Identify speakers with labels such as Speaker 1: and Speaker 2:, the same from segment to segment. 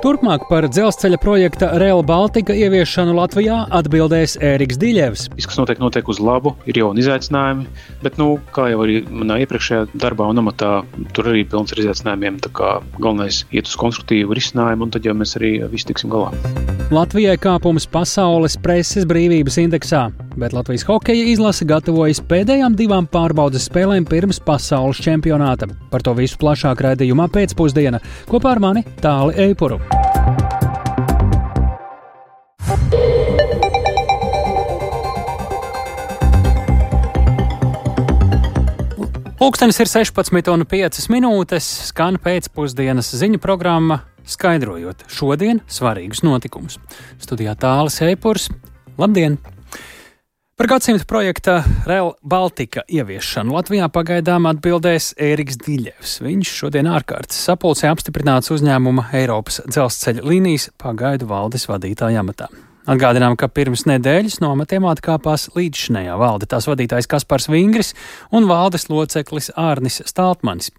Speaker 1: Turpmāk par dzelzceļa projekta Rail Baltica ieviešanu Latvijā atbildēs Ēriks Diļevs.
Speaker 2: Viss, kas notiek uz labu, ir jauni izaicinājumi, bet, kā jau arī manā iepriekšējā darbā un amatā, tur arī pilns ar izaicinājumiem, tā kā galvenais iet uz konstruktīvu risinājumu, un tad jau mēs arī visi tiksim galā.
Speaker 1: Latvijai kāpums pasaules preses brīvības indeksā, bet Latvijas hokeja izlase gatavojas pēdējām 2 pārbaudes spēlēm pirms pasaules čempionāta. Par to visu plašāk raidījumā pēcpusdiena. Kopā ar mani Tāli Eipuru. Pulkstenis ir 16:05, skan pēcpusdienas ziņu programma, skaidrojot šodien svarīgus notikumus. Studijā Tālis Eipurs. Labdien! Par gadsimta projekta Rail Baltica ieviešanu Latvijā pagaidām atbildēs Ēriks Diļevs. Viņš šodien ārkārtas sapulcē apstiprināts uzņēmuma Eiropas dzelzceļa līnijas pagaidu valdes vadītāja amatā. Atgādinām, ka pirms nedēļas no amatiem atkāpās līdzšinējā valde, tās vadītājs Kaspars Vingris un valdes loceklis Ārnis Staltmanis.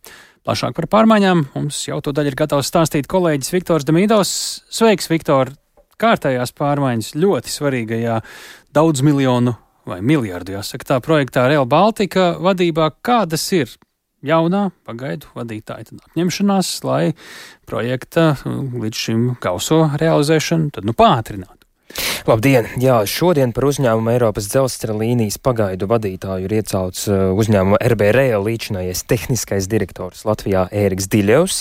Speaker 1: Plašāk par pārmaiņām mums jau to daļu ir gatavs stāstīt kolēģis Viktors Demīdovs. Sveiks, Viktor! Kārtējās pārmaiņas ļoti svarīgajā daudz miljonu vai miljardu, jāsaka tā, projektā Rail Baltica vadībā. Kādas ir jaunā pagaidu vadītāja apņemšanās, lai projekta līdz šim gauso realizēšanu tad pātrinātu?
Speaker 3: Labdien! Jā, šodien par uzņēmumu Eiropas dzelzceļa līnijas pagaidu vadītāju ir iecelts uzņēmuma RB Rail līdzinājais tehniskais direktors Latvijā Ēriks Diļevs.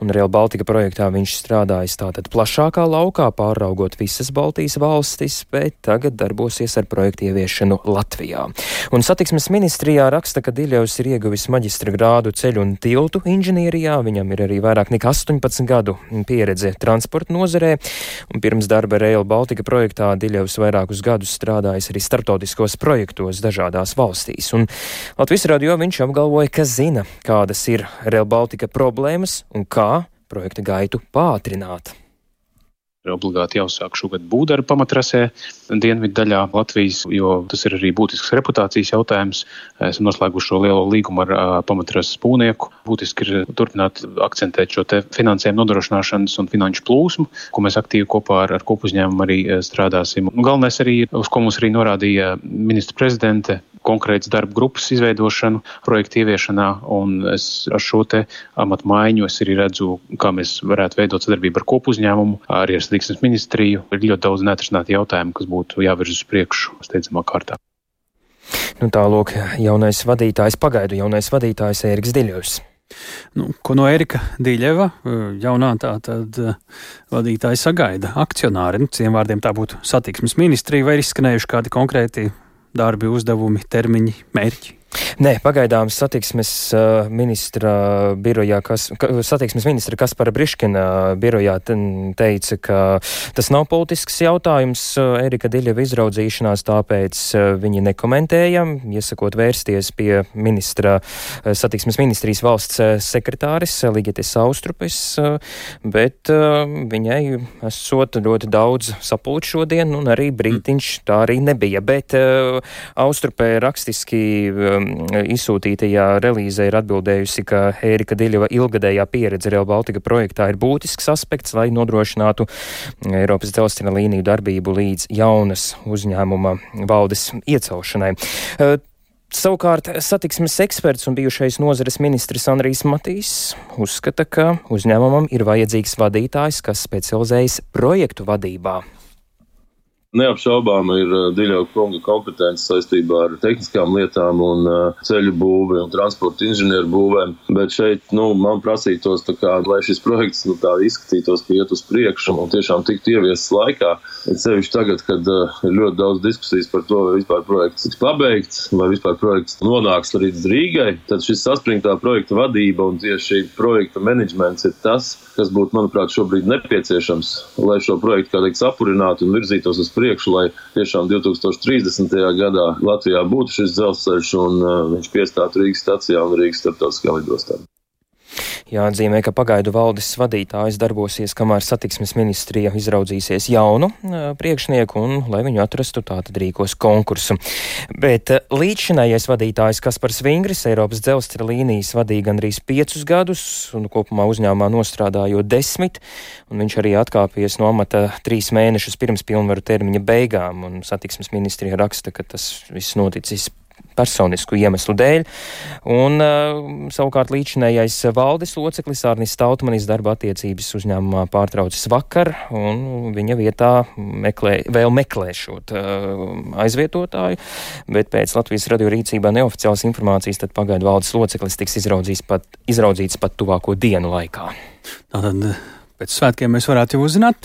Speaker 3: Un Rail Baltica projektā viņš strādājis tātad plašākā laukā, pāraugot visas Baltijas valstis, bet tagad darbosies ar projektu ieviešanu Latvijā. Un satiksmes ministrijā raksta, ka Diļevs ir ieguvis maģistra grādu ceļu un tiltu inženierijā. Viņam ir arī vairāk nekā 18 gadu pieredze transporta nozarē. Un pirms darba Rail Baltica projektā Diļevs vairākus gadus strādājis arī starptautiskos projektos dažādās valstīs. Un Latvijas radio viņš apgalvoja, ka zina, kādas ir Rail Baltica problēmas un kā projekta gaitu pātrināt.
Speaker 2: Ir obligāti jāuzsāk šogad būvdarbu pamatrasē dienvidu daļā Latvijas, jo tas ir arī būtisks reputācijas jautājums. Esam noslēguši šo lielo līgumu ar pamatrases būvnieku. Būtiski ir turpināt akcentēt šo te finansējumu nodrošināšanas un finanšu plūsmu, ko mēs aktīvi kopā ar kopuzņēmumu arī strādāsim. Galvenais arī, uz ko mums arī norādīja ministra prezidente, konkrēts darba grupas izveidošanu projektu ieviešanā, un es ar šo te amatu maiņu es arī redzu, kā mēs varētu veidot sadarbību ar kopuzņēmumu, arī ar satiksmes ministriju. Ir ļoti daudz neatrisināti jautājumi, kas būtu jāvirz uz priekšu steidzamā kārtā.
Speaker 3: Tālūk, pagaidu jaunais vadītājs Ēriks Diļevs.
Speaker 1: Ko no Ērika Diļeva jaunā tātad vadītāja sagaida akcionāri? Citiem vārdiem tā būtu satiksmes ministrija, vai ir izskanējuši kādi konkrēti darbi, uzdevumi, termiņi, mērķi?
Speaker 3: Nē, pagaidām satiksmes ministra Kaspara Briškina birojā teica, ka tas nav politisks jautājums Ērika Diļeva izraudzīšanās, tāpēc viņi nekomentēja, iesakot vērsties pie satiksmes ministrijas valsts sekretāris Ligetes Austrupes, bet viņai esot ļoti daudz sapulču šodien, un arī brītiņš tā arī nebija, bet Austrupē rakstiski izsūtītajā relīzē ir atbildējusi, ka Ērika Diļeva ilgadējā pieredze Rail Baltica projektā ir būtisks aspekts, lai nodrošinātu Eiropas dzelzceļa līniju darbību līdz jaunas uzņēmuma valdes iecelšanai. Savukārt satiksmes eksperts un bijušais nozares ministrs Andrijs Matīs uzskata, ka uzņēmumam ir vajadzīgs vadītājs, kas specializējas projektu vadībā.
Speaker 4: Neapšaubām ir Diļeva kunga kompetence saistībā ar tehniskām lietām un ceļu būvi un transporta inženieru būvēm, bet šeit, man prasītos lai šis projekts tā izskatītos, ka iet uz priekšu un tiešām tiktu ieviests laikā. Sevišķi tagad, kad ir ļoti daudz diskusijas par to, vai vispār projekts tiks pabeigts, vai vispār projekts nonāks līdz Rīgai, tad šis saspringtā projekta vadība un tieši projekta menedžments ir tas, kas būtu, manuprāt, šobrīd nepieciešams, lai šo projektu, kā teikt, sapurinātu un virzītos uz priekšu, lai tiešām 2030. gadā Latvijā būtu šis dzelzceļš un viņš piestātu Rīgas stacijā un Rīgas starptautiskā lidostā.
Speaker 3: Jāatzīmē, ka pagaidu valdes vadītājs darbosies, kamēr satiksmes ministrija izraudzīsies jaunu priekšnieku un, lai viņu atrastu, tātad rīkos konkursu. Bet līdzšinējais vadītājs Kaspars Vingris Eiropas dzelzceļa līnijas vadīja gandrīz 5 gadus un kopumā uzņēmumā nostrādājot 10, un viņš arī atkāpies no amata 3 mēnešus pirms pilnvaru termiņa beigām, un satiksmes ministrija raksta, ka tas viss noticis personisku iemeslu dēļ, un savukārt līdzinējais valdes loceklis Arnis Tautmanis darba attiecības uzņēmumā pārtraucis vakar, un viņa vietā meklē šot aizvietotāju, bet pēc Latvijas radio rīcībā neoficiālas informācijas tad pagaidu valdes loceklis tiks izraudzīts pat tuvāko dienu laikā.
Speaker 1: Tātad pēc svētkiem mēs varētu jau uzzināt.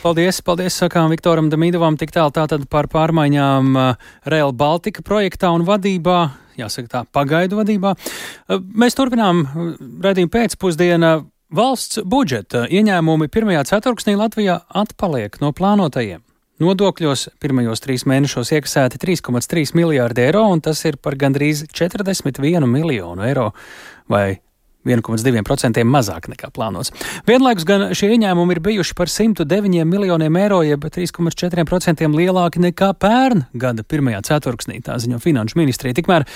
Speaker 1: Paldies, sakām Viktoram Damīdovam, tik tālu tātad par pārmaiņām Rail Baltica projektā un vadībā, jāsaka tā, pagaidu vadībā. Mēs turpinām raidījumu pēcpusdienā. Valsts budžeta ieņēmumi pirmajā ceturksnī Latvijā atpaliek no plānotajiem. Nodokļos pirmajos 3 mēnešos iekasēti 3,3 miljārdi eiro, un tas ir par gandrīz 41 miljonu eiro vai 1,2% mazāk nekā plānots. Vienlaikus gan šie ieņēmumi ir bijuši par 109 miljoniem eiro, jeb 3,4% lielāki nekā pērn gada pirmajā ceturksnī, tā ziņo Finanšu ministrija. Tikmēr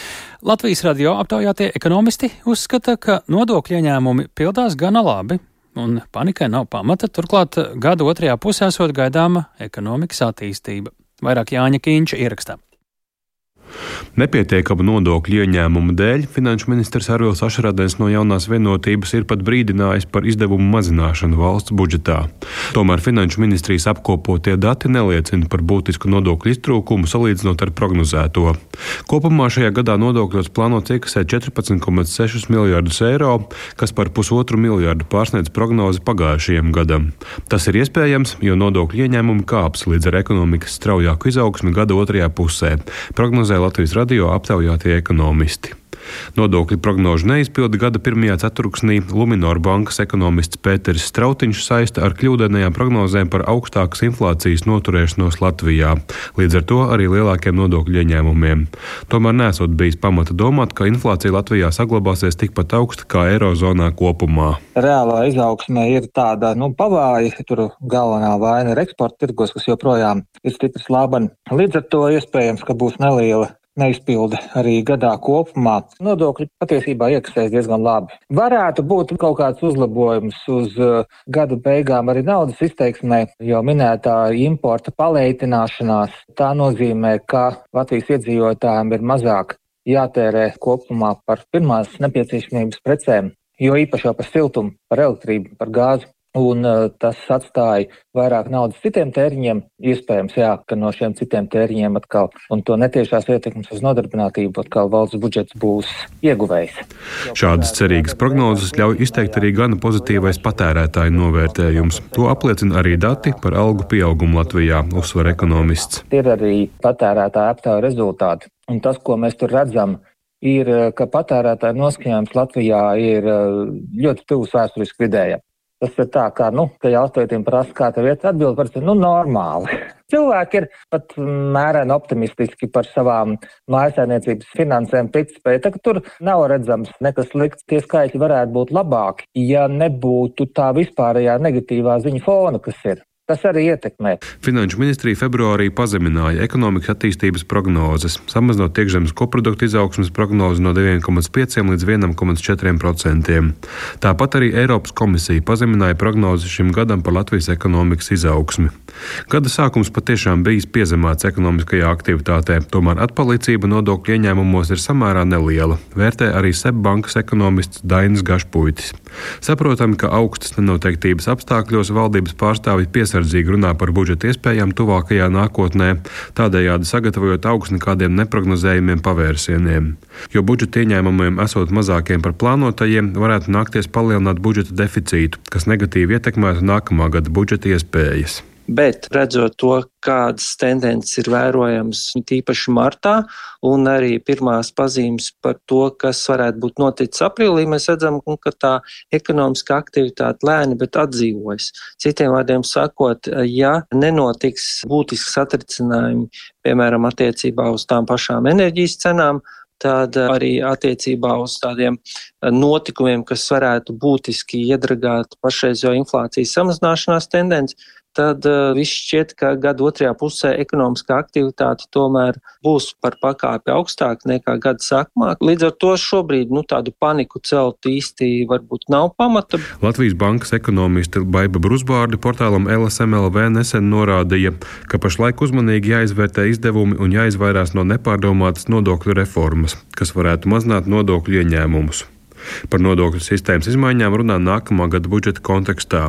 Speaker 1: Latvijas radio aptaujātie ekonomisti uzskata, ka nodokļu ieņēmumi pildās gana labi, un panikai nav pamata, turklāt gada otrajā pusē esot gaidāma ekonomikas attīstība. Vairāk Jāņa Kīņša ierakstā.
Speaker 5: Nepietiekamu nodokļu ieņēmumu dēļ finanšu ministrs Arvils Ašradens no Jaunās vienotības ir pat brīdinājis par izdevumu mazināšanu valsts budžetā. Tomēr finanšu ministrijas apkopotie dati neliecina par būtisku nodokļu iztrūkumu salīdzinot ar prognozēto. Kopumā šajā gadā nodokļos plānots iekasēt 14,6 miljārdus eiro, kas par 1,5 miljārdu pārsniedz prognozi pagājušajam gadam. Tas ir iespējams, jo nodokļu ieņēmumi kāps līdz ar ekonomikas straujāku izaugsmi gada otrajā pusē. Prognozē Latvijas radio aptaujātie ekonomisti. Nodokļu prognožu neizpildi gada pirmajā ceturksnī Luminor bankas ekonomists Pēteris Strautiņš saista ar kļūdainajām prognozēm par augstākas inflācijas noturēšanos Latvijā, līdz ar to arī lielākiem nodokļu ieņēmumiem. Tomēr nesot bijis pamata domāt, ka inflācija Latvijā saglabāsies tikpat augsta kā Eirozonā kopumā.
Speaker 6: Reālā izaugsme ir tāda, pavāja, tur galvenā vaina ir eksporta tirgos, kas joprojām ir stipri slābani. Līdz ar to iespējams, ka būs neliela neizpilde arī gadā kopumā. Nodokļi patiesībā iekasēs diezgan labi. Varētu būt kaut kāds uzlabojums uz gada beigām arī naudas izteiksmē, jo minētā importa paleitināšanās. Tā nozīmē, ka Latvijas iedzīvotājiem ir mazāk jātērē kopumā par pirmās nepieciešamības precēm, jo īpaši jau par siltumu, par elektrību, par gāzi. Un tas atstāja vairāk naudas citiem tēriņiem, iespējams, ka no šiem citiem tēriņiem atkal, un to netiešās ietekmes uz nodarbinātību atkal valsts budžets būs ieguvējs.
Speaker 5: Šādas cerīgas prognozes ļauj izteikt arī gana pozitīvais patērētāju novērtējums. To apliecina arī dati par algu pieaugumu Latvijā, uzsver ekonomists.
Speaker 6: Ir arī patērētāju aptauju rezultāti, un tas, ko mēs tur redzam, ir, ka patērētāju noskaņojums Latvijā ir ļoti tuvs vēsturiski vidējam. Tas ir tā, kā, ka jautājumiem prasa, kā tev iet atbild, parasti, normāli. Cilvēki ir pat mēreni optimistiski par savām mājasēmniecības finansēm, ticspēju. Tā, ka tur nav redzams nekas slikts, tie skaitļi varētu būt labāki, ja nebūtu tā vispārējā negatīvā ziņa fona, kas ir. Tas arī ietekmē.
Speaker 5: Finanšu ministrija februārī pazemināja ekonomikas attīstības prognozes, samazinot iekšzemes koprodukta izaugsmes prognozi no 2,5 līdz 1,4%. Tāpat arī Eiropas komisija pazemināja prognozi šim gadam par Latvijas ekonomikas izaugsmi. Gada sākums patiešām bijis piezemēts ekonomiskajā aktivitātē, tomēr atpalicība nodokļu ieņēmumos ir samērā neliela, vērtē arī SEB bankas ekonomists Dainis Gašpuitis. Saprotami, ka augstas nenoteiktības apstākļos valdības pārstāvji piesardzīgi runā par budžeta iespējām tuvākajā nākotnē, tādējādi sagatavojot augsni kādiem neprognozējumiem pavērsieniem. Jo budžeta ieņēmumiem esot mazākiem par plānotajiem, varētu nākties palielināt budžeta deficītu, kas negatīvi ietekmētu nākamā gada budžeta iespējas.
Speaker 7: Bet redzot to, kādas tendences ir vērojamas tīpaši martā un arī pirmās pazīmes par to, kas varētu būt noticis aprīlī, mēs redzam, ka tā ekonomiskā aktivitāte lēni, bet atdzīvojas. Citiem vārdiem sakot, ja nenotiks būtisks satricinājumi, piemēram, attiecībā uz tām pašām enerģijas cenām, tad arī attiecībā uz tādiem notikumiem, kas varētu būtiski iedragāt pašreizējo inflācijas samazināšanās tendenci, tad viss šķiet, ka gada otrajā pusē ekonomiskā aktivitāte tomēr būs par pakāpi augstāk nekā gada sākumā. Līdz ar to šobrīd tādu paniku celt īsti varbūt nav pamata.
Speaker 5: Latvijas bankas ekonomiste Baiba Brusbārde portālam LSMLV nesen norādīja, ka pašlaik uzmanīgi jāizvērtē izdevumi un jāizvairās no nepārdomātas nodokļu reformas, kas varētu mazināt nodokļu ieņēmumus. Par nodokļu sistēmas izmaiņām runā nākamā gada budžeta kontekstā,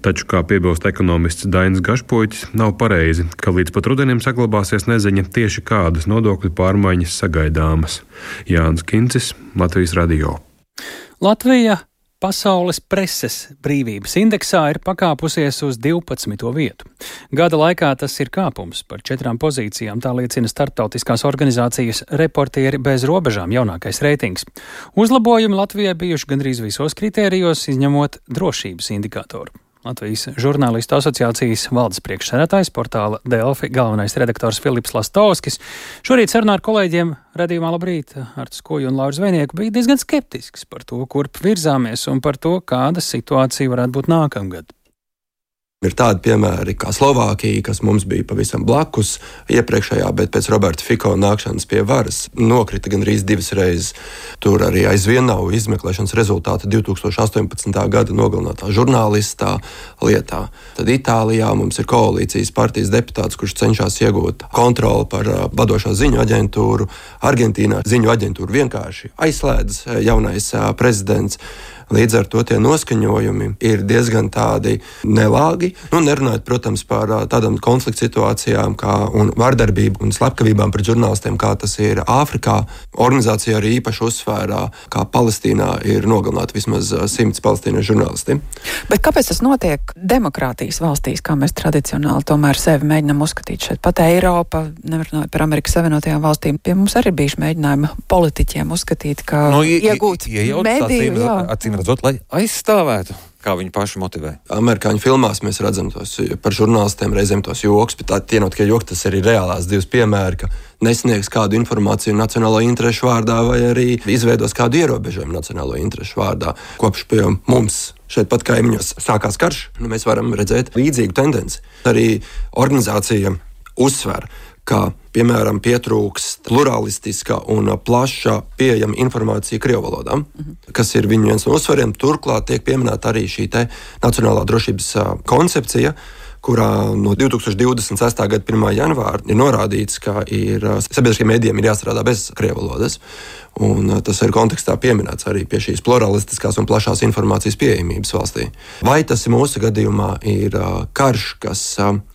Speaker 5: taču, kā piebilst ekonomists Dainis Gašpuitis, nav pareizi, ka līdz pat rudenim saglabāsies neziņa tieši kādas nodokļu pārmaiņas sagaidāmas. Jānis Kincis, Latvijas radio.
Speaker 1: Latvija Pasaules preses brīvības indeksā ir pakāpusies uz 12. vietu. Gada laikā tas ir kāpums par 4 pozīcijām, tā liecina starptautiskās organizācijas Reportieri bez robežām jaunākais reitings. Uzlabojumi Latvijai bijuši gandrīz visos kritērijos, izņemot drošības indikātoru. Latvijas žurnālistu asociācijas valdes priekšsēdētājs, portāla Delfi galvenais redaktors Filips Lastovskis šorīt sarunā ar kolēģiem radījumā Labrīt Artu Skoju un Lauru Zvejnieku bija diezgan skeptisks par to, kurp virzāmies un par to, kāda situācija varētu būt nākamgad.
Speaker 8: Ir tādi piemēri kā Slovākija, kas mums bija pavisam blakus iepriekšējā, bet pēc Roberta Fico nākšanas pie varas nokrita gandrīz 2 reizes. Tur arī aizvien nav izmeklēšanas rezultāta 2018. gada nogalinātā žurnālistā lietā. Tad Itālijā mums ir koalīcijas partijas deputāts, kurš cenšas iegūt kontroli par vadošo ziņu aģentūru. Argentīnā ziņu aģentūru vienkārši aizslēdz jaunais prezidents. Līdz ar to tie noskaņojumi ir diezgan tādi nelāgi. Nerunājot, protams, par tādām konflikta situācijām un vardarbību un slepkavībām pret žurnālistiem, kā tas ir Āfrikā. Organizācija arī īpaši uzsvērā, kā Palestīnā ir nogalināti vismaz 100 palestīniešu žurnālisti.
Speaker 9: Bet kāpēc tas notiek demokrātijas valstīs, kā mēs tradicionāli tomēr sevi mēģinām uzskatīt šeit? Pat Eiropa, nevarot par Amerikas Savienotajām valstīm, pie mums arī bijuši mēģinājumi politiķiem uzskatīt, ka iegūt mediju.
Speaker 10: Redzot, lai aizstāvētu, kā viņi paši motivē.
Speaker 8: Amerikāņu filmās mēs redzam tos par žurnālistiem reizēm tos joks, bet tie nav tikai joki, tas arī reālās 2 piemēri, ka nesniegs kādu informāciju nacionālo interešu vārdā vai arī izveidos kādu ierobežojumu nacionālo interešu vārdā. Kopš pie mums šeit pat kaimiņos sākās karš, mēs varam redzēt līdzīgu tendenci. Arī organizācija uzsver, ka, piemēram, pietrūkst pluralistiska un plaša pieejama informācija krievu valodā, kas ir viņu viens no uzsvariem. Turklāt tiek pieminēta arī šī nacionālā drošības koncepcija, kurā no 2026. gada 1. janvāra ir norādīts, ka sabiedriskiem mēdījiem ir jāstrādā bez krievu valodas. Un tas ir kontekstā pieminēts arī pie šīs pluralistiskās un plašās informācijas pieejamības valstī. Vai tas mūsu gadījumā ir karš, kas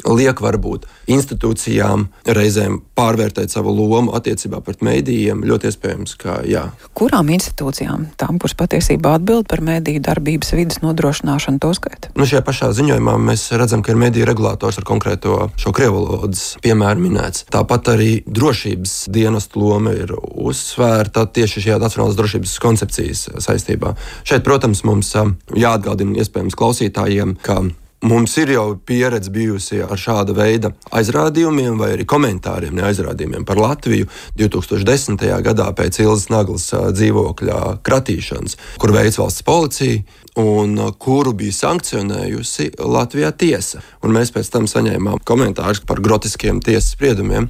Speaker 8: liek varbūt institūcijām reizēm pārvērtēt savu lomu attiecībā pret mēdījiem? Ļoti iespējams, ka jā.
Speaker 9: Kurām institūcijām? Tām, kuras patiesībā atbild par mēdīju darbības vidas nodrošināšanu, to skaita?
Speaker 8: Šajā pašā ziņojumā mēs redzam, ka ir mēdīju regulators ar konkrēto šo krievu valodas piemēru minēts. Tāpat arī drošības dienestu loma ir uzsvērta tieši šajā nacionālās drošības koncepcijas saistībā. Šeit, protams, mums jāatgādina iespējams klausītājiem, ka mums ir jau pieredze bijusi ar šāda veida aizrādījumiem vai arī komentāriem, neaizrādījumiem par Latviju 2010. gadā pēc Ilzas Naglas dzīvokļa kratīšanas, kur veids valsts policija un kuru bija sankcionējusi Latvijā tiesa. Un mēs pēc tam saņēmām komentārus par grotiskiem tiesas spriedumiem.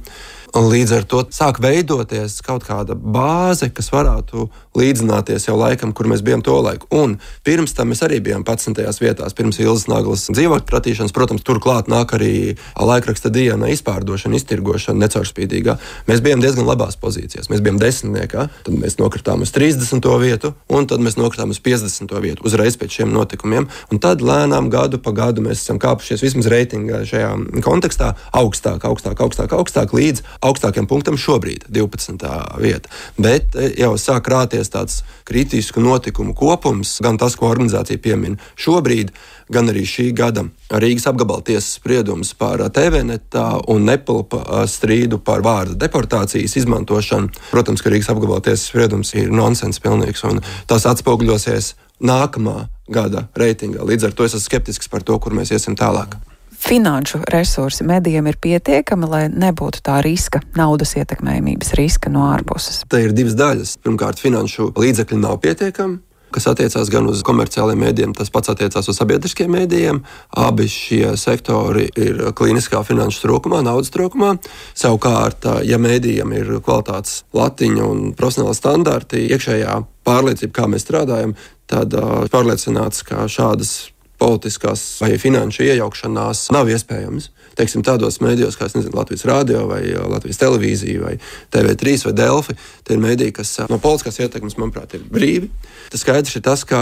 Speaker 8: Līdz ar to sāk veidoties kaut kāda bāze, kas varētu līdzināties jau laikam, kur mēs bijām to laiku. Un pirms tam mēs arī bijām 11. vietās, pirms Ilzas Naglas dzīvokļa kratīšanas. Protams, turklāt nāk arī laikraksta Diena izpārdošana, iztirgošana necaurspīdīgā. Mēs bijām diezgan labās pozīcijās. Mēs bijām 10. Tad mēs nokritām uz 30. vietu, un tad mēs nokritām uz 50. vietu uzreiz pēc šiem notikumiem. Un tad lēnām gadu pa gadu mēs esam kāpušies vismaz reitingā šajā kontekstā augstāk līdz augstākiem punktam šobrīd 12. vieta. Bet jau sāk rāties tāds kritisku notikumu kopums, gan tas, ko organizācija piemin šobrīd, gan arī šī gada Rīgas apgabala tiesas spriedums par TVNetā un Nepilpa strīdu par vārda deportācijas izmantošanu. Protams, ka Rīgas apgabala tiesas spriedums ir nonsens pilnīgs, un tas atspoguļosies nākamā gada reitingā. Līdz ar to es esmu skeptisks par to, kur mēs iesim tālāk.
Speaker 9: finanšu resursi medijiem ir pietiekami, lai nebūtu tā riska, naudas ietekmējumības riska no ārpuses?
Speaker 8: Te ir divas daļas. Pirmkārt, finanšu līdzekļi nav pietiekami, kas attiecās gan uz komerciāliem mēdījiem, tas pats attiecās uz sabiedriskiem mēdījiem. Abi šie sektori ir klīniskā finanšu trūkumā, naudas trūkumā. Savukārt, ja mēdījiem ir kvalitātes latiņa un profesionāli standarti, iekšējā pārliecība, kā mēs strādājam, tad pārliecināts, ka šādas politiskās vai finanšu iejaukšanās nav iespējams. Teiksim, tādos mēdījos, kā Latvijas Rādio vai Latvijas Televīzija vai TV3 vai Delfi, tie ir mēdīji, kas no politiskās ietekmes, manuprāt, ir brīvi. Tas skaidrs ir tas, ka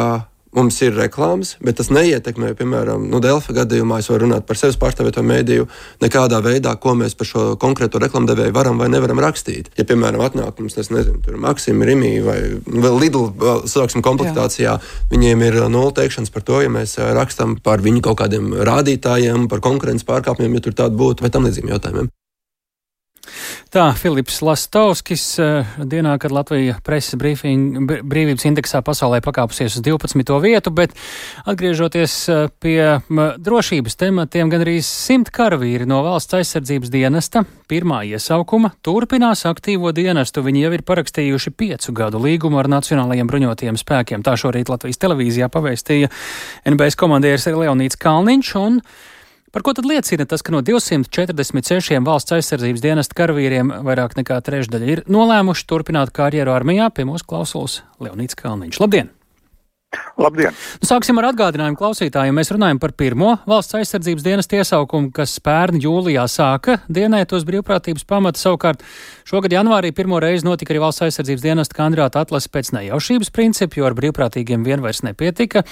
Speaker 8: mums ir reklāmas, bet tas neietekmē, piemēram, Delfa gadījumā, es varu runāt par sevis pārstāvēto mēdīju, nekādā veidā, ko mēs par šo konkrēto reklamdevēju varam vai nevaram rakstīt. Ja, piemēram, atnāk mums, es nezinu, tur Maksim, Rimī vai vēl Lidl, sāksim komplektācijā, viņiem ir nulle teikšanas par to, ja mēs rakstam par viņu kaut kādiem rādītājiem, par konkurences pārkāpumiem, ja tur tāda būtu, vai tam līdzīgiem jautājumiem.
Speaker 1: Tā, Filips Lastovskis, dienā, kad Latvija preses brīvības indeksā pasaulē pakāpusies uz 12. vietu, bet atgriežoties pie drošības tematiem, gan arī 100 karavīri no Valsts aizsardzības dienesta pirmā iesaukuma turpinās aktīvo dienestu. Viņi jau ir parakstījuši 5 gadu līgumu ar Nacionālajiem bruņotajiem spēkiem. Tā šorīt Latvijas televīzijā pavēstīja NBS komandieris Leonīds Kalniņš, un par ko tad liecina tas, ka no 246 Valsts aizsardzības dienesta karavīriem vairāk nekā trešdaļa ir nolēmuši turpināt karjeru armijā? Pie mūsu klausulas Leonīds Kalniņš. Labdien!
Speaker 11: Labdien!
Speaker 1: Sāksim ar atgādinājumu klausītājiem. Mēs runājam par pirmo Valsts aizsardzības dienesta iesaukumu, kas pērn jūlijā sāka dienēt uz brīvprātības pamata. Savukārt šogad janvārī pirmo reizi notika arī Valsts aizsardzības dienesta kandidāta atlase pēc nejaušības principu, jo ar brīvprātīgiem vien vairs nepietika.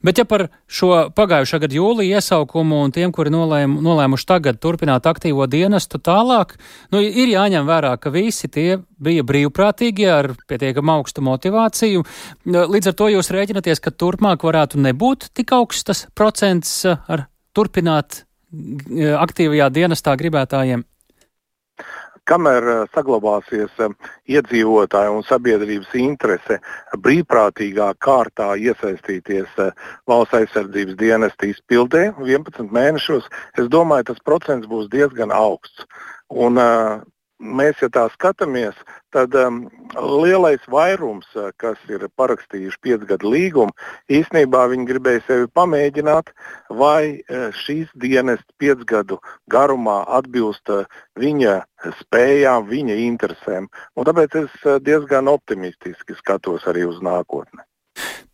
Speaker 1: Bet ja par šo pagājušā gada jūlija iesaukumu un tiem, kuri nolēmuši tagad turpināt aktīvo dienestu tālāk, ir jāņem vērā, ka visi tie bija brīvprātīgi ar pietiekam augstu motivāciju. Līdz ar to jūs rēķinaties, ka turpmāk varētu nebūt tik augsts procents ar turpināt aktīvajā dienestā gribētājiem?
Speaker 11: Kamēr saglabāsies iedzīvotāju un sabiedrības interese brīvprātīgā kārtā iesaistīties Valsts aizsardzības dienesta izpildē 11 mēnešos, es domāju, tas procents būs diezgan augsts. Un mēs, ja tā skatāmies, tad lielais vairums, kas ir parakstījuši 5 gadu līgumu, īstenībā viņi gribēja sevi pamēģināt, vai šīs dienests 5 gadu garumā atbilst viņa spējām, viņa interesēm. Un tāpēc es diezgan optimistiski skatos arī uz nākotni.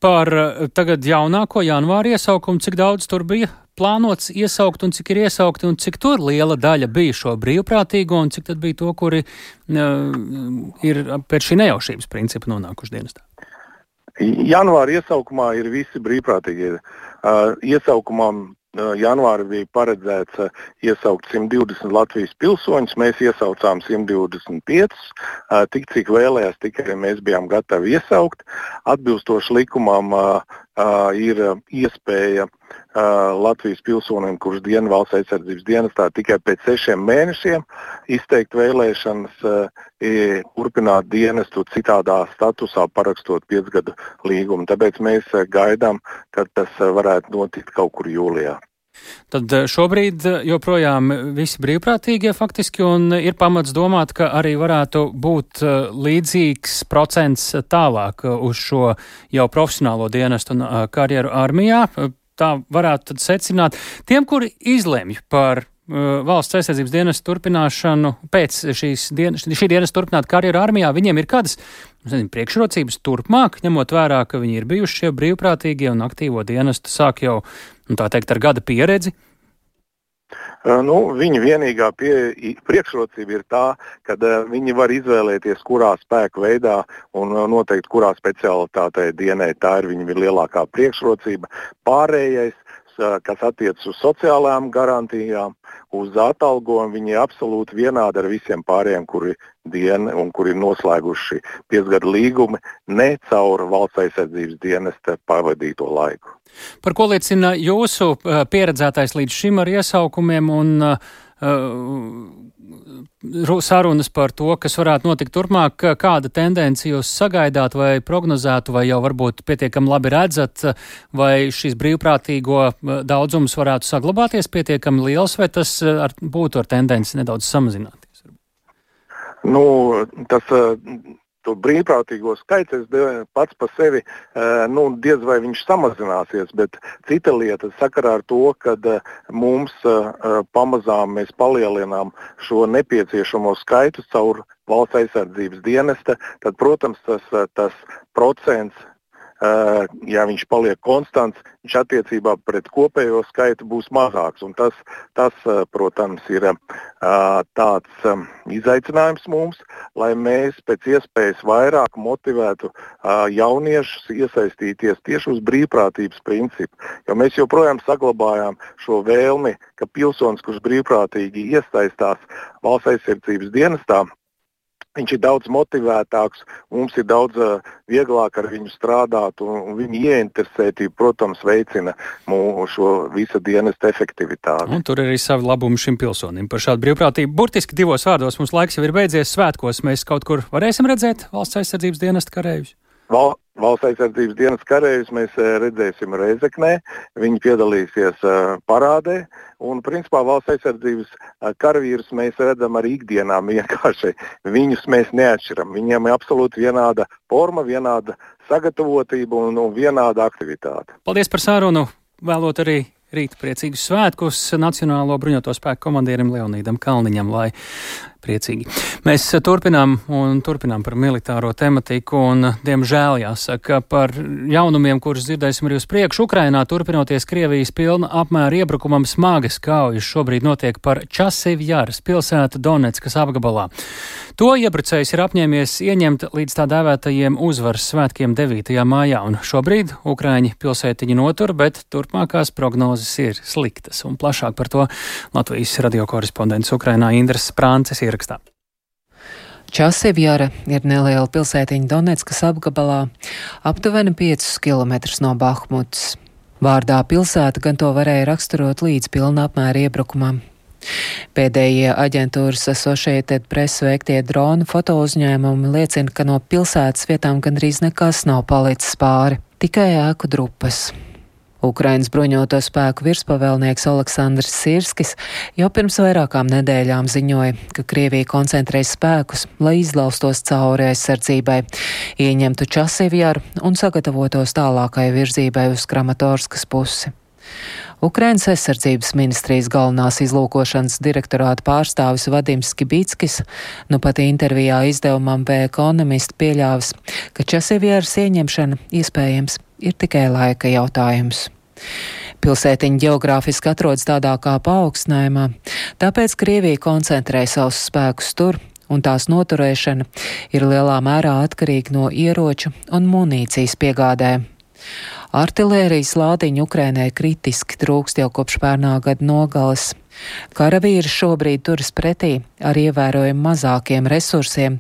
Speaker 1: Par tagad jaunāko janvāri iesaukumu, cik daudz tur bija plānots iesaukt un cik ir iesaukti un cik tur liela daļa bija šo brīvprātīgo un cik tad bija to, kuri ir pēc šī nejaušības principa nonākuši dienestā?
Speaker 11: Janvāra iesaukumā ir visi brīvprātīgie. Iesaukumam janvāri bija paredzēts iesaukt 120 Latvijas pilsoņus, mēs iesaucām 125, tik cik vēlējās, tik arī mēs bijām gatavi iesaukt. Atbilstoši likumam ir iespēja Latvijas pilsonim, kurš diena Valsts aizsardzības dienestā tikai pēc 6 mēnešiem izteikt vēlēšanas, turpināt dienestu citādā statusā, parakstot 5 gadu līgumu. Tāpēc mēs gaidām, ka tas varētu notikt kaut kur jūlijā.
Speaker 1: Tad šobrīd joprojām visi brīvprātīgie faktiski un ir pamats domāt, ka arī varētu būt līdzīgs procents tālāk uz šo jau profesionālo dienestu un karjeru armijā. Tā varētu tad secināt. Tiem, kuri izlemj par Valsts aizsardzības dienestu turpināšanu pēc šī dienesta turpināt karjeru armijā, viņiem ir kādas priekšrocības turpmāk, ņemot vērā, ka viņi ir bijuši šie brīvprātīgie un aktīvo dienestu sāk jau, tā teikt, ar gada pieredzi?
Speaker 11: Viņa vienīgā priekšrocība ir tā, ka viņi var izvēlēties, kurā spēku veidā un noteikti kurā specialitātē dienē. Tā ir viņa lielākā priekšrocība. Pārējais, kas attiecas uz sociālajām garantijām, uz atalgojumu, viņi ir absolūti vienādi ar visiem pārējiem, kuri diena un kuri ir noslēguši 5 gadu līgumi ne caur Valsts aizsardzības dienesta pavadīto laiku.
Speaker 1: Par ko liecina jūsu pieredzētais līdz šim ar iesaukumiem un sarunas par to, kas varētu notikt turpmāk, kāda tendenci jūs sagaidāt vai prognozētu, vai jau varbūt pietiekami labi redzat, vai šis brīvprātīgo daudzums varētu saglabāties pietiekami liels, vai tas būtu ar tendenci nedaudz samazināties?
Speaker 11: To brīvprātīgo skaits pats par sevi diez vai viņš samazināsies, bet cita lieta sakarā ar to, kad mums pamazām mēs palielinām šo nepieciešamo skaitu caur valsts aizsardzības dienesta, tad, protams, tas procents, ja viņš paliek konstants, viņš attiecībā pret kopējo skaitu būs mazāks. Un tas, protams, ir tāds izaicinājums mums, lai mēs pēc iespējas vairāk motivētu jauniešus iesaistīties tieši uz brīvprātības principu. Jo mēs joprojām saglabājām šo vēlmi, ka pilsonis, kurš brīvprātīgi iesaistās valsts aizsardzības dienestā, viņš ir daudz motivētāks, mums ir daudz vieglāk ar viņu strādāt, un viņa ieinteresētība, protams, veicina šo visa dienesta efektivitāti.
Speaker 1: Un tur ir arī savi labumi šim pilsonim par šādu brīvprātību. Burtiski 2 vārdos mums laiks jau ir beidzies. Svētkos mēs kaut kur varēsim redzēt valsts aizsardzības dienesta kareivjus?
Speaker 11: Valsts aizsardzības dienas kareivjus mēs redzēsim Rēzeknē, viņi piedalīsies parādē, un principā valsts aizsardzības karavīrus mēs redzam arī ikdienā vienkārši. Viņus mēs neatšķiram, viņiem ir absolūti vienāda forma, vienāda sagatavotība un vienāda aktivitāte.
Speaker 1: Paldies par sarunu, vēlot arī rīt priecīgus svētkus Nacionālo bruņoto spēku komandierim Leonīdam Kalniņam, lai priecīgi. Mēs turpinām par militāro tematiku un, diemžēl, jāsaka, par jaunumiem, kurus dzirdēsim arī uz priekšu. Ukrainā turpinoties Krievijas pilna apmēra iebrukumam smagas kaujas šobrīd notiek par Časivjaras pilsētu Donetskas apgabalā. To iebrucējs ir apņēmies ieņemt līdz tā dēvētajiem uzvaras svētkiem 9. maijā, un šobrīd Ukraiņi pilsētiņu notur, bet turpmākās prognozes ir sliktas. Un plašāk par to Latvijas radio korespondents Ukrainā Indras Sprānces ierakstā.
Speaker 12: Časivjara ir neliela pilsētiņa Donetskas apgabalā, aptuveni 5 km no Bahmutas. Vārdā pilsēta gan to varēja raksturot līdz pilna apmēra iebrukumam. Pēdējie aģentūras Associated Press veiktie dronu fotouzņēmumi liecina, ka no pilsētas vietām gandrīz nekas nav palicis pāri, tikai ēku drupas. Ukrainas bruņoto spēku virspavēlnieks Aleksandrs Sirskis jau pirms vairākām nedēļām ziņoja, ka Krievija koncentrē spēkus, lai izlaustos cauri aizsardzībai, ieņemtu Časivjaru un sagatavotos tālākai virzībai uz Kramatorskas pusi. Ukrainas aizsardzības ministrijas galvenās izlūkošanas direktorāta pārstāvis Vadims Skibitskis nu pat intervijā izdevumam The Economist pieļāvis, ka Časivjaras ieņemšana iespējams ir tikai laika jautājums. Pilsētiņa ģeogrāfiski atrodas tādā kā paaugstinājumā, tāpēc Krievija koncentrē savus spēkus tur, un tās noturēšana ir lielā mērā atkarīga no ieroču un munīcijas piegādēm. Artilērijas lādiņu Ukrainai kritiski trūkst jau kopš pērnā gada nogales. Karavīri šobrīd turas pretī ar ievērojami mazākiem resursiem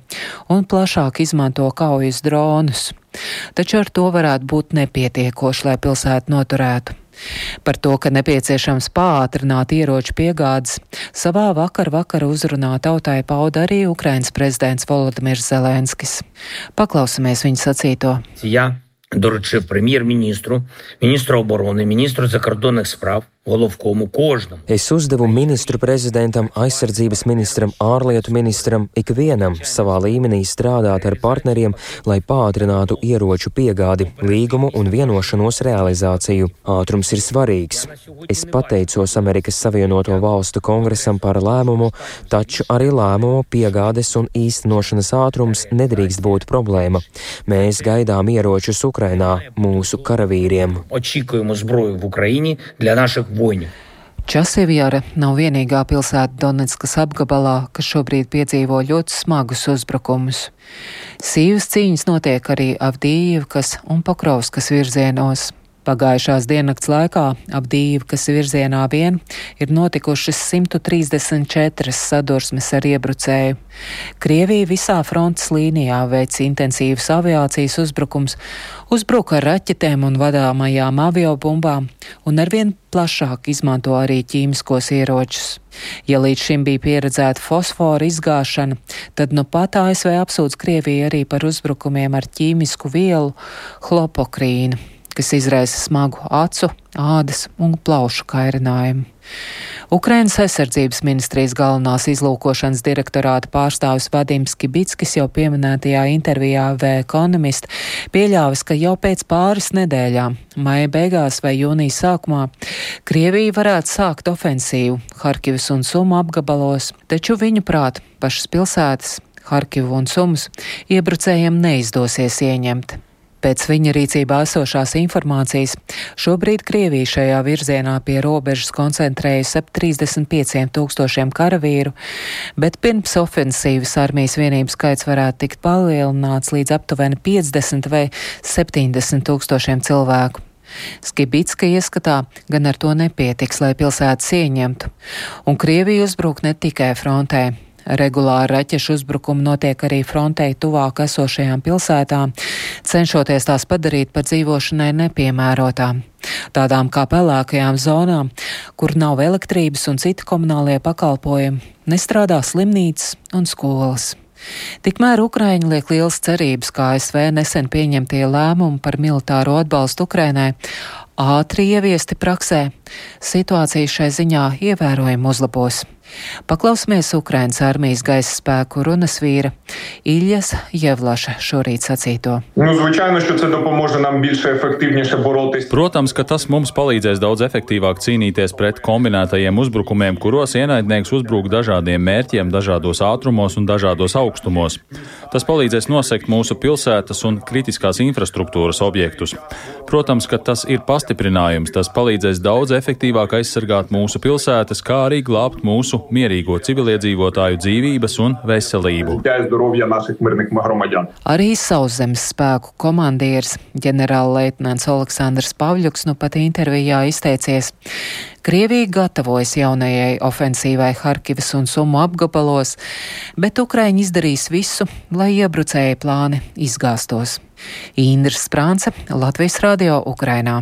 Speaker 12: un plašāk izmanto kaujas dronus. Taču ar to varētu būt nepietiekoši, lai pilsētu noturētu. Par to, ka nepieciešams pātrināt ieroču piegādes, savā vakara uzrunā tautai pauda arī Ukrainas prezidents Volodimirs Zelenskis. Paklausamies viņa sacīto.
Speaker 13: Доручив прем'єр-міністру, міністру оборони, міністру закордонних справ, головкому кожнam.
Speaker 3: Es uzdevu ministru prezidentam, aizsardzības ministram, ārlietu ministram, ikvienam savā līmenī strādāt ar partneriem, lai pātrinātu ieroču piegādi, līgumu un vienošanos realizāciju. Ātrums ir svarīgs. Es pateicos Amerikas Savienoto Valstu kongresam par lēmumu, taču arī lēmumu piegādes un īstenošanas ātrums nedrīkst būt problēma. Mēs gaidām ieročus Ukrainā mūsu karavīriem.
Speaker 13: Очікуємо зброю в Україні для наших voņu.
Speaker 12: Časivjara nav vienīgā pilsēta Donetskas apgabalā, kas šobrīd piedzīvo ļoti smagus uzbrukumus. Sīvas cīņas notiek arī Avdijivkas un Pokrovskas virzienos. Pagājušās diennakts laikā ap Dīvkas virzienā vien ir notikušas 134 sadursmes ar iebrucēju. Krievija visā frontes līnijā veic intensīvas aviācijas uzbrukums, uzbruka ar raķetēm un vadāmajām aviobumbām un arvien plašāk izmanto arī ķīmiskos ieročus. Ja līdz šim bija pieredzēta fosfora izgāšana, tad nu pat ASV apsūdz Krieviju arī par uzbrukumiem ar ķīmisku vielu hlopokrīnu, kas izraisa smagu acu, ādas un plaušu kairinājumu. Ukrainas aizsardzības ministrijas galvenās izlūkošanas direktorāta pārstāvis Vadims Kibickis jau pieminētajā intervijā The Economist pieļāvis, ka jau pēc pāris nedēļām, maija beigās vai jūnija sākumā, Krievija varētu sākt ofensīvu Harkivas un Sumu apgabalos, taču viņu prāt pašas pilsētas, Harkivu un Sumus, iebrucējiem neizdosies ieņemt. Pēc viņa rīcībā esošās informācijas šobrīd Krievija šajā virzienā pie robežas koncentrējas ap 35,000 karavīru, bet pirms ofensīvas armijas vienību skaits varētu tikt palielināts līdz aptuveni 50 vai 70,000 cilvēku. Skibicka ieskatā gan ar to nepietiks, lai pilsētas ieņemtu, un Krievija uzbruk ne tikai frontē. Regulāri raķešu uzbrukumi notiek arī frontei tuvāk esošajām pilsētām, cenšoties tās padarīt par dzīvošanai nepiemērotām. Tādām kā pelēkajām zonām, kur nav elektrības un citi komunālie pakalpojumi, nestrādā slimnīcas un skolas. Tikmēr Ukraiņi liek lielas cerības, kā ASV nesen pieņemtie lēmumi par militāro atbalstu Ukrainai ātri ieviesti praksē. Situācija šai ziņā ievērojami uzlabos. Paklausīsimies Ukrainas armijas gaisa spēku runas vīra Iljas Jevlaša šorīt sacīto.
Speaker 14: Protams, ka tas mums palīdzēs daudz efektīvāk cīnīties pret kombinētajiem uzbrukumiem, kuros ienaidnieks uzbruk dažādiem mērķiem, dažādos ātrumos un dažādos augstumos. Tas palīdzēs nosegt mūsu pilsētas un kritiskās infrastruktūras objektus. Protams, ka tas ir pastiprinājums, tas palīdzēs daudz efektīvāk aizsargāt mūsu pilsētas, kā arī glābt mūsu mierīgo civiliedzīvotāju dzīvības un veselību.
Speaker 12: Arī sauszemes spēku komandieris ģenerālleitnants Aleksandrs Pavļuks nu pat intervijā izteicies. Krievija gatavojas jaunajai ofensīvai Harkivas un Sumu apgabalos, bet Ukraiņi izdarīs visu, lai iebrucēja plāni izgāstos. Indra Sprānce, Latvijas radio Ukrainā.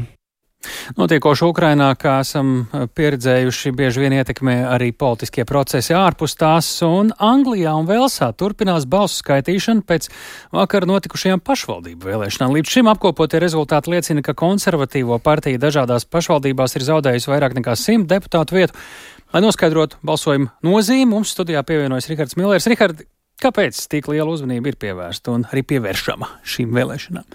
Speaker 1: Notiekošu Ukrainā, kā esam pieredzējuši, bieži vien ietekmē arī politiskie procesi ārpus tās, un Anglijā un Velsā turpinās balsu skaitīšana pēc vakar notikušajām pašvaldību vēlēšanām. Līdz šim apkopotie rezultāti liecina, ka konservatīvo partija dažādās pašvaldībās ir zaudējusi vairāk nekā 100 deputātu vietu. Lai noskaidrotu balsojumu nozīmi, mums studijā pievienojas Rihards Millers. Rihards, kāpēc tik liela uzmanība ir pievērsta un arī pievēršama šīm vēlēšanām?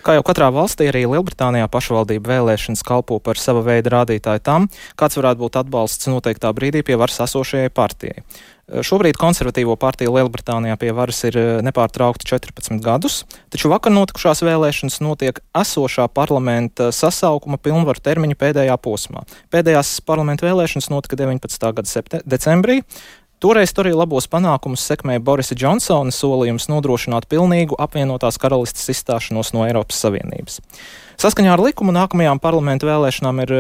Speaker 15: Kā jau katrā valstī, arī Lielbritānijā pašvaldību vēlēšanas kalpo par sava veida rādītāju tam, kāds varētu būt atbalsts noteiktā brīdī pie varas esošajai partijai. Šobrīd konservatīvo partija Lielbritānijā pie varas ir nepārtraukti 14 gadus, taču vakar notikušās vēlēšanas notiek esošā parlamenta sasaukuma pilnvaru termiņa pēdējā posmā. Pēdējās parlamenta vēlēšanas notika 19. gada decembrī. Toreiz arī labos panākumus sekmēja Borisa Džonsona solījums nodrošināt pilnīgu apvienotās karalistes izstāšanos no Eiropas Savienības. Saskaņā ar likumu nākamajām parlamentu vēlēšanām ir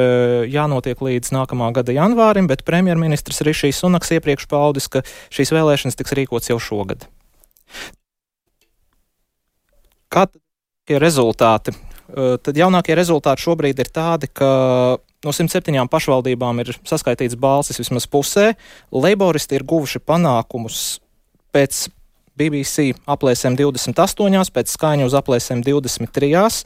Speaker 15: jānotiek līdz nākamā gada janvārim, bet premjerministrs Rišijs Sunaks iepriekš paudis, ka šīs vēlēšanas tiks rīkots jau šogad. Kādi ir rezultāti? Tad jaunākie rezultāti šobrīd ir tādi, ka no 107 pašvaldībām ir saskaitīts balsis vismaz pusē. Leiboristi ir guvuši panākumus pēc BBC aplēsēm 28, pēc Sky News aplēsēm 23.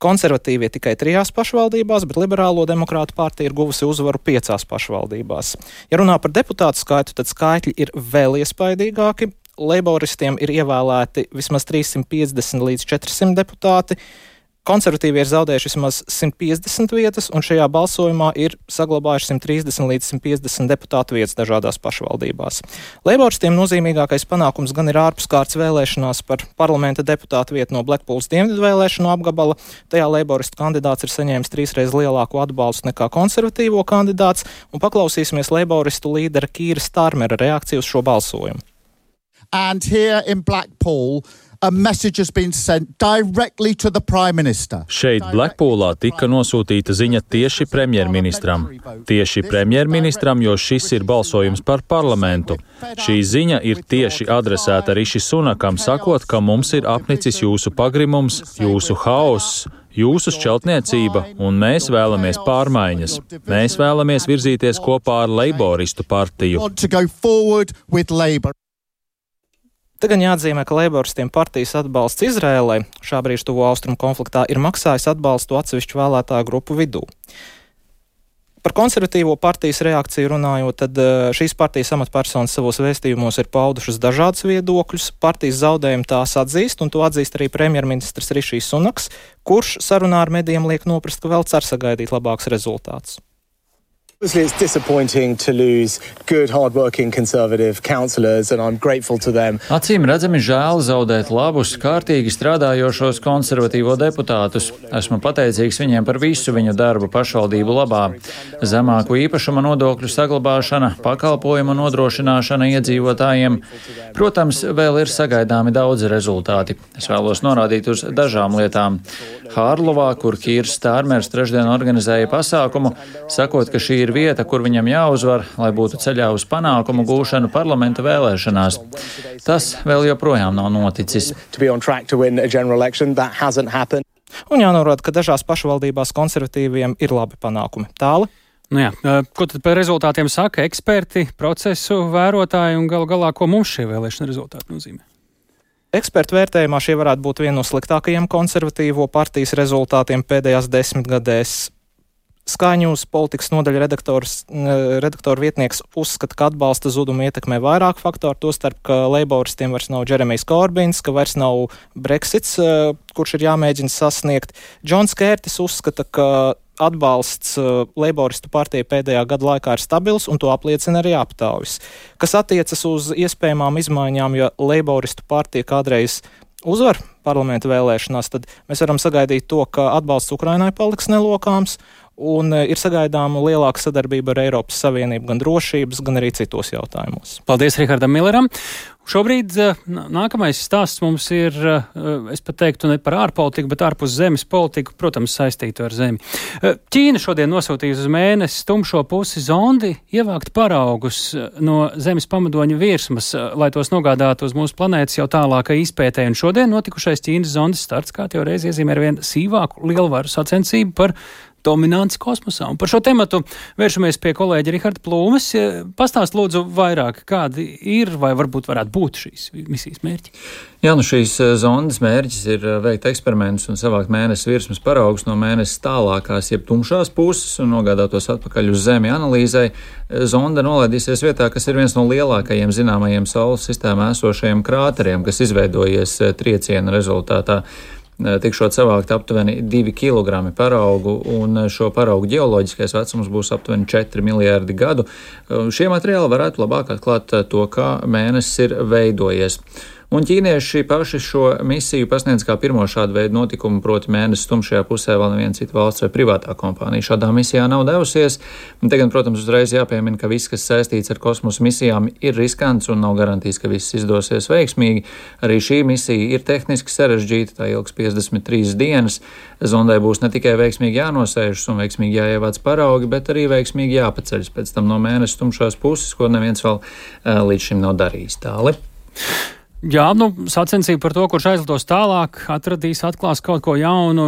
Speaker 15: Konservatīvie tikai 3 pašvaldībās, bet Liberālo demokrātu partija ir guvusi uzvaru 5 pašvaldībās. Ja runā par deputātu skaitu, tad skaitļi ir vēl iespaidīgāki. Leiboristiem ir ievēlēti vismaz 350 līdz 400 deputāti. Konservatīvi ir zaudējuši vismaz 150 vietas, un šajā balsojumā ir saglabājuši 130 līdz 150 deputātu vietas dažādās pašvaldībās. Leiboristiem nozīmīgākais panākums gan ir ārpuskārtas vēlēšanās par parlamenta deputātu vietu no Blackpools dienvidu vēlēšanu apgabala. Tajā leiboristu kandidāts ir saņēmis 3 reizes lielāku atbalstu nekā konservatīvo kandidāts, un paklausīsimies leiboristu līdera Kīra Starmera reakciju uz šo balsojumu.
Speaker 16: And here in Blackpool, a message has been sent directly to the Prime Minister.
Speaker 14: Šeit Blackpoolā tika nosūtīta ziņa tieši premjerministram. Tieši premjerministram, jo šis ir balsojums par parlamentu. Šī ziņa ir tieši adresēta Riši Sunakam, sakot, ka mums ir apnicis jūsu pagrimums, jūsu haoss, jūsu šķeltniecība, un mēs vēlamies pārmaiņas. Mēs vēlamies virzīties kopā ar Leiboristu partiju.
Speaker 15: Te gan jāatzīmē, ka Leiboristiem partijas atbalsts Izrēlai šā brīža tuvo austrumu konfliktā ir maksājis atbalstu atsevišķu vēlētāju grupu vidū. Par konservatīvo partijas reakciju runājot, tad šīs partijas amatpersonas savos vēstījumos ir paudušas dažādus viedokļus. Partijas zaudējumu tās atzīst, un to atzīst arī premjerministrs Rišijs Sunaks, kurš sarunā ar medijiem liek noprast, ka vēl cer sagaidīt labāks rezultāts.
Speaker 17: It's disappointing to lose good, hard-working Conservative councillors, and I'm grateful to them.
Speaker 18: Acīm redzami žēl zaudēt labus, kārtīgi strādājošos konservatīvo deputātus. Esmu pateicīgs viņiem par visu viņu darbu pašvaldību labā. Zemāku īpašuma nodokļu saglabāšana, pakalpojumu nodrošināšana iedzīvotājiem. Protams, vēl ir sagaidāmi daudzi rezultāti. Es vēlos norādīt uz dažām lietām. Hārlovā, kur Kīrs Stārmers trešdien organizēja pasākumu, sakot, ka šī ir vieta, kur viņam jāuzvar, lai būtu ceļā uz panākumu gūšanu parlamenta vēlēšanās. Tas vēl joprojām nav noticis.
Speaker 15: Un jānorāda, ka dažās pašvaldībās konservatīviem ir labi panākumi. Tāli?
Speaker 1: Nu jā, ko tad par rezultātiem saka eksperti, procesu vērotāji un galu galā, ko mums šie vēlēšana rezultāti nozīmē?
Speaker 15: Ekspertu vērtējumā šie varētu būt viena no sliktākajiem konservatīvo partijas rezultātiem pēdējās 10 gadēs. Skaņūs politikas nodaļa redaktora vietnieks uzskata, ka atbalsta zudumu ietekmē vairāk faktoru, tostarp, ka Leiboristiem vairs nav Džeremijs Korbins, ka vairs nav Brexits, kurš ir jāmēģina sasniegt. Džons Kērtis uzskata, ka atbalsts Leiboristu partijai pēdējā gada laikā ir stabils, un to apliecina arī aptaujas. Kas attiecas uz iespējamām izmaiņām, ja Leiboristu partija kādreiz uzvar parlamenta vēlēšanās, tad mēs varam sagaidīt to, ka atbalsts Ukrainai paliks nelokāms, un ir sagaidāma lielāka sadarbība ar Eiropas Savienību gan drošības, gan arī citos jautājumos.
Speaker 1: Paldies Rihardam Milleram. Šobrīd nākamais stāsts mums ir, es pat teiktu, ne par ārpolitiku, bet ārpus zemes politiku, protams, saistītu ar zemi. Ķīna šodien nosūtījusi uz mēnesi tumšo pusi zondi ievākt paraugus no zemes pamadoņa virsmas, lai tos nogādātu uz mūsu planētas jau tālākai izpētē. Un šodien notikušais Ķīnas zondes starts, kā jau reiz iezīmē, ar vien sīvāku lielvaru sacensību par dominants kosmosā. Un par šo tematu vēršamies pie kolēģa Riharda Plūmes. Pastāst lūdzu vairāk, kādi ir vai varbūt varētu būt šīs misijas mērķi?
Speaker 18: Jā, šīs zondes mērķis ir veikt eksperimentus un savākt mēnesi virsmas paraugus no mēnesis tālākās, jeb tumšās puses un nogādāt tos atpakaļ uz Zemi analīzei. Zonda nolaidīsies vietā, kas ir viens no lielākajiem zināmajiem Saules sistēmā esošajiem krāteriem, kas izveidojies trieciena rezultātā. Tikšot savākt aptuveni 2 kg paraugu, un šo paraugu ģeoloģiskais vecums būs aptuveni 4 miljārdi gadu. Šie materiāli varētu labāk atklāt to, kā mēnesis ir veidojies. Un ķīnieši paši šo misiju pasniedz kā pirmo šādu veidu notikumu, proti mēnesis tumšajā pusē vēl neviena cita valsts vai privātā kompānija šādā misijā nav devusies. Un te gan, protams, uzreiz jāpiemina, ka viss, kas saistīts ar kosmosa misijām, ir riskants un nav garantijas, ka viss izdosies veiksmīgi. Arī šī misija ir tehniski sarežģīta, tā ilgs 53 dienas. Zondai būs ne tikai veiksmīgi jānosēžas un veiksmīgi jāievāc paraugi, bet arī veiksmīgi jāpaceļas pēc tam no mēnesis tumšās puses, ko neviens vēl līdz šim nav darījis. Tāli.
Speaker 1: Jā, sacensība par to, kurš aizlidos tālāk, atklās kaut ko jaunu.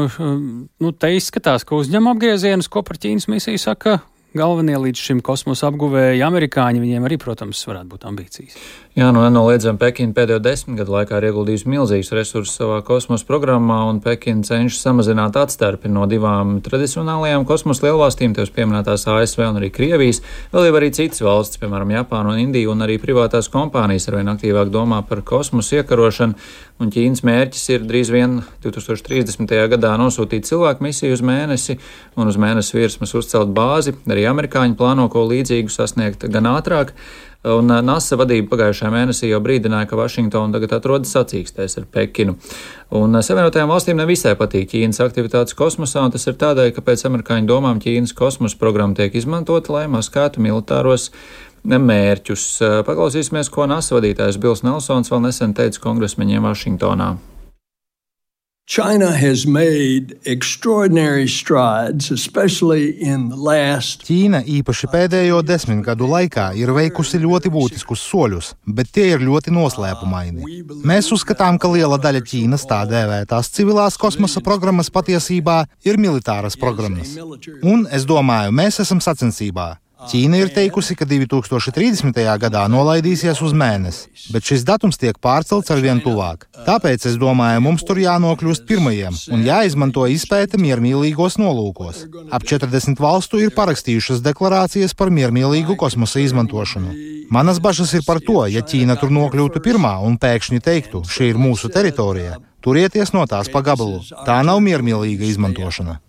Speaker 1: Te izskatās, ka uzņem apgriezienus, ko par Ķīnas misiju saka galvenie līdz šim kosmosa apguvēji amerikāņi. Viņiem arī, protams, varētu būt ambīcijas.
Speaker 18: Jā, nenoliedzami Pekina pēdējo 10 gadu laikā ir ieguldījusi milzīgus resursus savā kosmosa programmā, un Pekina cenšas samazināt atstarpi no divām tradicionālajām kosmosa lielvalstīm, tev pieminētās ASV un arī Krievijas. Vēl jau arī citas valstis, piemēram, Japāna un Indija, un arī privātās kompānijas arvien aktīvāk domā par kosmosa iekarošanu, un Ķīnas mērķis ir drīz vien 2030. gadā nosūtīt cilvēku misiju uz mēnesi un uz mēnesi virsmas uzcelt bāzi. Arī amerikāņi plāno ko līdzīgu sasniegt gan ātrāk. Un NASA vadība pagājušajā mēnesī jau brīdināja, ka Vašingtona tagad atrodas sacīkstēs ar Pekinu. Un Savienotajām valstīm nevisai patīk Ķīnas aktivitātes kosmosā, un tas ir tādēļ, ka pēc amerikāņu domām Ķīnas kosmosa programma tiek izmantota, lai maskētu militāros mērķus. Paklausīsimies, ko NASA vadītājs Bils Nelsons vēl nesen teica kongresmeņiem Vašingtonā.
Speaker 19: China has made extraordinary strides, especially in the last.
Speaker 20: Ķīna īpaši pēdējo 10 gadu laikā ir veikusi ļoti būtiskus soļus, bet tie ir ļoti noslēpumaini. Mēs uzskatām, ka liela daļa Ķīnas tā dēvētās civilās kosmosa programmas patiesībā ir militāras programmas. Un, es domāju, mēs esam sacensībā. Ķīna ir teikusi, ka 2030. gadā nolaidīsies uz Mēnesi, bet šis datums tiek pārcelts arvien tuvāk. Tāpēc, es domāju, mums tur jānokļūst pirmajiem un jāizmanto izpēte miermīlīgos nolūkos. Ap 40 valstu ir parakstījušas deklarācijas par miermīlīgu kosmosa izmantošanu. Manas bažas ir par to, ja Ķīna tur nokļūtu pirmā un pēkšņi teiktu, šī ir mūsu teritorija, turieties no tās pa gabalu. Tā nav miermīlīga izmantošana.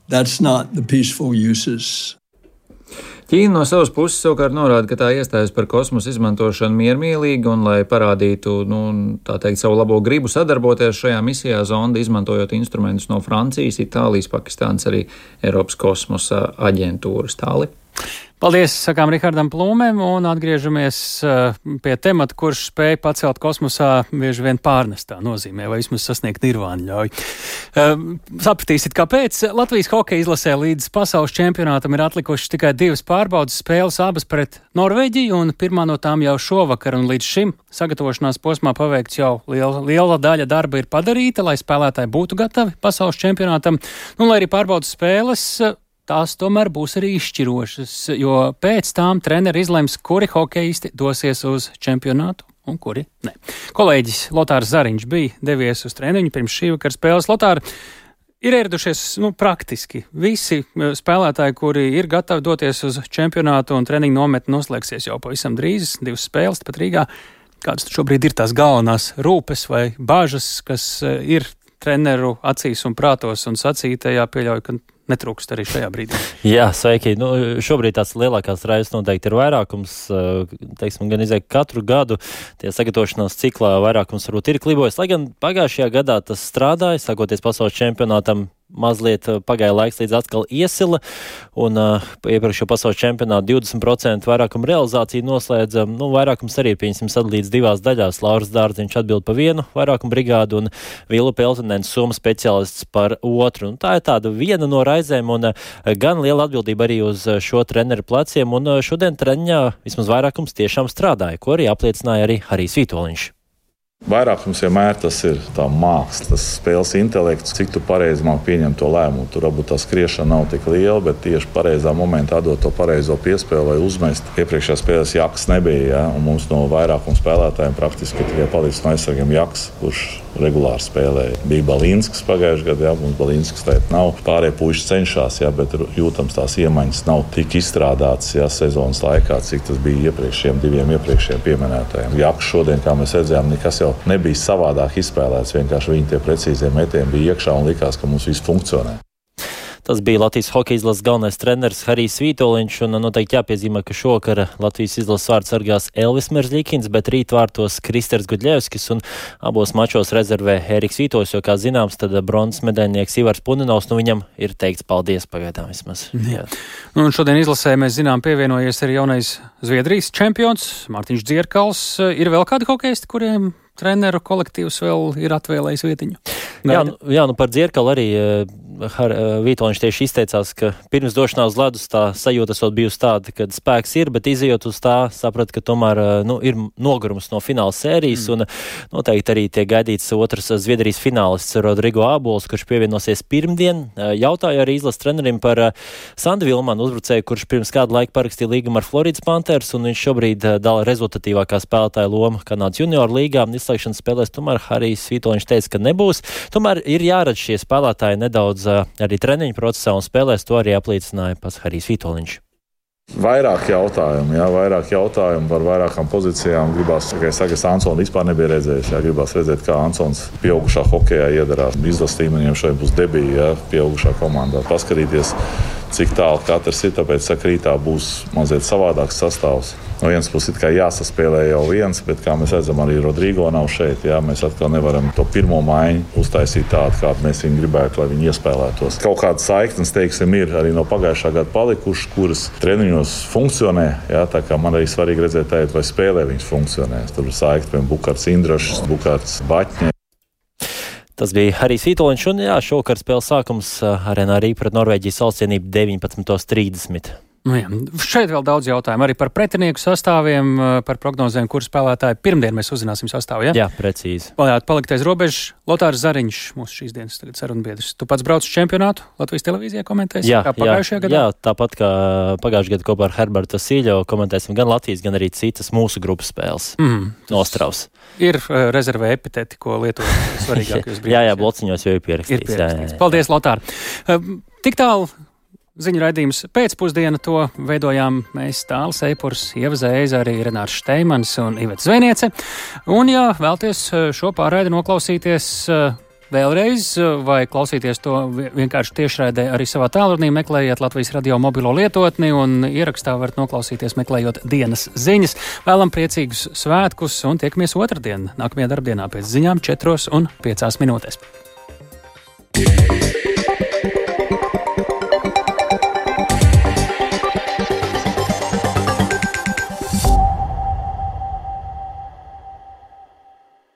Speaker 18: Ķīna no savas puses savukārt norāda, ka tā iestājas par kosmosa izmantošanu miermīlīgi un, lai parādītu, tā teikt, savu labo gribu sadarboties šajā misijā, zonda izmantojot instrumentus no Francijas, Itālijas, Pakistānas, arī Eiropas kosmosa aģentūras. Tāli.
Speaker 1: Paldies, sakām Rihardam Plūmēm, un atgriežamies pie temata, kurš spēja pacelt kosmosā bieži vien pārnestā nozīmē, vai vismaz sasniegt nirvānu ļauj. Sapratīsit, kāpēc Latvijas hokeja izlasē līdz pasaules čempionātam ir atlikušas tikai 2 pārbaudas spēles, abas pret Norvēģiju, un pirmā no tām jau šovakar, un līdz šim sagatavošanās posmā paveikts jau liela daļa darba ir padarīta, lai spēlētāji būtu gatavi pasaules čempionātam, lai arī pārbaudas spēles tās tomēr būs arī izšķirošas, jo pēc tām treneri izlems, kuri hokeisti dosies uz čempionātu un kuri ne. Kolēģis Lotārs Zariņš bija devies uz treniņu pirms šī vakara spēles. Lotār, ir ieradušies praktiski visi spēlētāji, kuri ir gatavi doties uz čempionātu, un treniņu nometne noslēgsies jau pavisam drīz, 2 spēles pat Rīgā. Kādas šobrīd ir tās galvenās rūpes vai bāžas, kas ir treneru acīs un prātos, un sacītajā pieļauju, ka netrūkst arī šajā brīdī?
Speaker 21: Jā, sveiki. Šobrīd tās lielākās raizes noteikti ir vairākums. Teiksim, gan izēk katru gadu tie sagatavošanās ciklā vairākums varbūt ir klibojis. Lai gan pagājušajā gadā tas strādāja, sākoties pasaules čempionātam, mazliet pagāja laiks līdz atkal iesila, un iepriekšējo pasaules čempionātu 20% vairākumu realizāciju noslēdza. Vairākums arī, sadalīts 2 daļās. Lauris Dārziņš atbild par 1 vairākumu brigādu un Vila Peltonens, Somas speciālists, par 2. Un tā ir tāda viena no raizēm, un gan liela atbildība arī uz šo treneru pleciem, un šodien treniņā vismaz vairākums tiešām strādāja, ko arī apliecināja arī Harijs Vitoļņš.
Speaker 22: Vairākums vienmēr tas ir tā māksla, tas spēles intelekts, cik tu pareizi māki pieņemt to lēmumu. Tur varbūt tā skriešana nav tik liela, bet tieši pareizā momentā dot to pareizo piespēli, lai uzmest. Iepriekšējā spēles Jaks nebija, ja? Un mums no vairākuma spēlētājiem praktiski tikai palicis no aizsargiem Jaks, kurš regulāri spēlēja. Bija Balīnskis pagājušajā gadā, ja? Mums Balīnskis tēt nav. Pārējie puiši cenšas, ja? Bet jūtams tās iemaņas nav tik izstrādātas, ja? Sezonas laikā, cik tas bija iepriekšējiem 2 iepriekšējiem pieminētājiem. Jaks šodien, kā mēs redzējām, nekas jau nebija savādāk izspēlēts, vienkārši viņi tie precīzie metieni bija iekšā un likās, ka mums viss funkcionē.
Speaker 21: Tas bija Latvijas hokeja izlases galvenais treneris Harijs Vitoļņš, un noteikti jāpiezīmē, ka šokar Latvijas izlases vārdu sargās Elvis Merzļikins, bet rīt vārtos Kristers Gudļevskis, un abos mačos rezervē Ēriks Vītols, jo, kā zināms, tad bronzas medaļnieks Ivars Puninovs, viņam ir teikts paldies pagaidām vismaz. Jā.
Speaker 1: Un šodien izlasē mēs zinām pievienojies arī jaunais Zviedrijas čempions Mārtiņš Dzierkals. Ir vēl kādi hokeisti, kuriem treneru kolektīvs vēl ir atvēlējis vietiņu?
Speaker 21: Jā, par Dzierkalu arī Vītoļņš tieši izteicās, ka pirms došanās uz ledus tā sajūta esot bijusi tāda, ka spēks ir, bet izejot uz tā, saprat, ka tomēr ir nogurums no fināla sērijas, un noteikti arī tiek gaidīts otrs Zviedrijas finālists Rodrigo Ābols, kurš pievienosies pirmdien. Jautāju arī izlases trenerim par Sandu Vilmanu, uzbrucēju, kurš pirms kādu laiku parakstīja līgumu ar Floridas Panthers, un viņš šobrīd dala rezultatīvākā spēlētāja loma Kanādas junioru līgā. Izslēgšanas spēlēs tomēr Harijs Vitoļņš teica, ka nebūs. Tomēr ir jāredz šie spēlētāji nedaudz arī treniņu procesā, un spēlēs to arī apliecināja pats Harijs Vitoļņš.
Speaker 22: Vairāk jautājumu par vairākām pozīcijām. Gribās, kā es Ansonu vispār nebija redzējis. Gribās redzēt, kā Ansons pieaugušā hokejā iedarās. Izlases līmeniem šodien būs debija, pieaugušā komandā. Paskatīties, cik tālu katrs ir, tāpēc saka, rītā būs mazliet savādāks sastāvs. No vienas puses it kā jāsaspēlē jau viens, bet kā mēs redzam, arī Rodrigo nav šeit. Jā, mēs atkal nevaram to pirmo maiņu uztaisīt tādu, kādu mēs viņu gribētu, lai viņi iespēlētos. Kaut kādas saiknes, teiksim, ir arī no pagājušā gada palikušas, kuras treniņos funkcionē. Jā, tā kā man arī svarīgi redzēt, tagad, vai spēlē viņas funkcionē. Tur ir saikne, piemēram, Bukārts Indrašs, Bukārts Baķņē.
Speaker 21: Tas bija Harijs Vitoļņš, un jā, šovakar spēles sākums Arēnā Rīga pret Norvēģijas valstsienību 19:30.
Speaker 1: Nu jā, šeit vēl daudz jautājumu arī par pretinieku sastāviem, par prognozēm, kur spēlētāji pirmdien mēs uzzināsim sastāvu, ja?
Speaker 21: Jā, precīzi.
Speaker 1: Varētu palikt aiz robežas. Lotārs Zariņš, mūsu šīs dienas tagad sarunbiedrs. Tu pats brauc uz čempionātu Latvijas televīzijā komentēsi?
Speaker 21: Jā,
Speaker 1: kā pagājušajā gadā?
Speaker 21: Jā, tāpat kā pagājušajā gadā kopā ar Herbertu Sīļo komentēsim gan Latvijas, gan arī citas mūsu grupas spēles. Ostravs.
Speaker 1: Ir rezervē epiteti, ko lietot svarīgākajos brīdīs.
Speaker 21: Jā, blociņos jau ir pierakstīts. Jā.
Speaker 1: Paldies, Lotār. Tik tālu ziņu raidījums pēcpusdiena, to veidojām mēs Tālis Eipurs, Ieva Zēza, arī Renārs Šteimans un Iveta Zvejniece. Un, ja vēlties šo pārraidi noklausīties vēlreiz vai klausīties to vienkārši tiešraidē arī savā tālrunī, meklējiet Latvijas radio mobilo lietotni un ierakstā varat noklausīties meklējot dienas ziņas. Vēlam priecīgus svētkus un tiekamies otrdien, nākamajā darbdienā pēc ziņām 4:05.